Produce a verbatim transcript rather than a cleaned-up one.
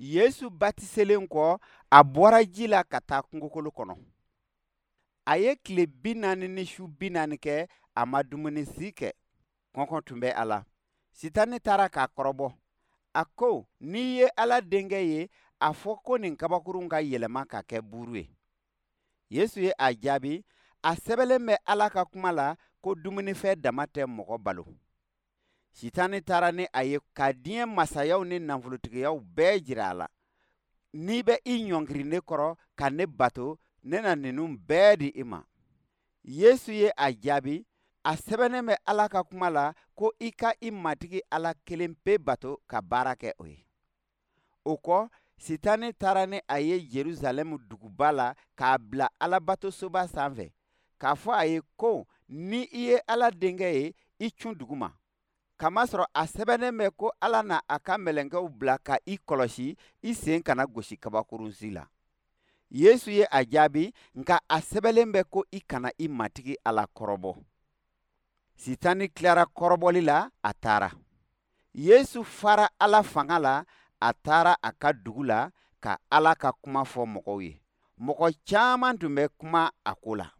Yesu batiselen kɔ, a bɔra ji la ka taa kungokolo kɔnɔ. A ye tile bi naani ni su bi naani kɛ, a ma dumuni si kɛ. Kɔngɔ tun bɛ a la. Sitani taara k'a kɔrɔbɔ. A ko, n'i ye Ala denkɛ ye, a fɔ ko nin kabakurun ka yɛlɛma ka kɛ buuru ye. Yesu ye a jaabi, a sɛbɛnlen bɛ Ala ka kuma la ko dumunifɛn dama tɛ mɔgɔ balo. Sitani taara ni a ye ka diɲɛ masayaw ni nafolotigiyaw bɛɛ jira a la. N'i bɛ i ɲɔngiri ne kɔrɔ ka ne bato, ne na ninnu bɛɛ di i ma. Yesu ye a jaabi, a sɛbɛnnen bɛ Ala ka kuma la ko i ka i Matigi Ala kelen pe bato ka baara kɛ o ye. O kɔ, Sitani taara ni a ye Jerusalɛmu duguba la k'a bila Alabatosoba sanfɛ, k'a fɔ a ye ko ni i ye Ala denkɛ ye, i cun duguma. Kamasɔrɔ a sɛbɛnnen bɛ ko Ala na a ka mɛlɛkɛw bila ka i kɔlɔsi, i sen kana gosi kabakurun si la. Yesu ye a jaabi, nka a sɛbɛnlen bɛ ko i kana i Matigi Ala kɔrɔbɔ. Sitani tilara kɔrɔbɔli la, a taara. Yesu fara Ala fanga la, a taara a ka dugu la ka Ala ka kuma fɔ mɔgɔw ye. Mɔgɔ caman tun bɛ kuma a ko la.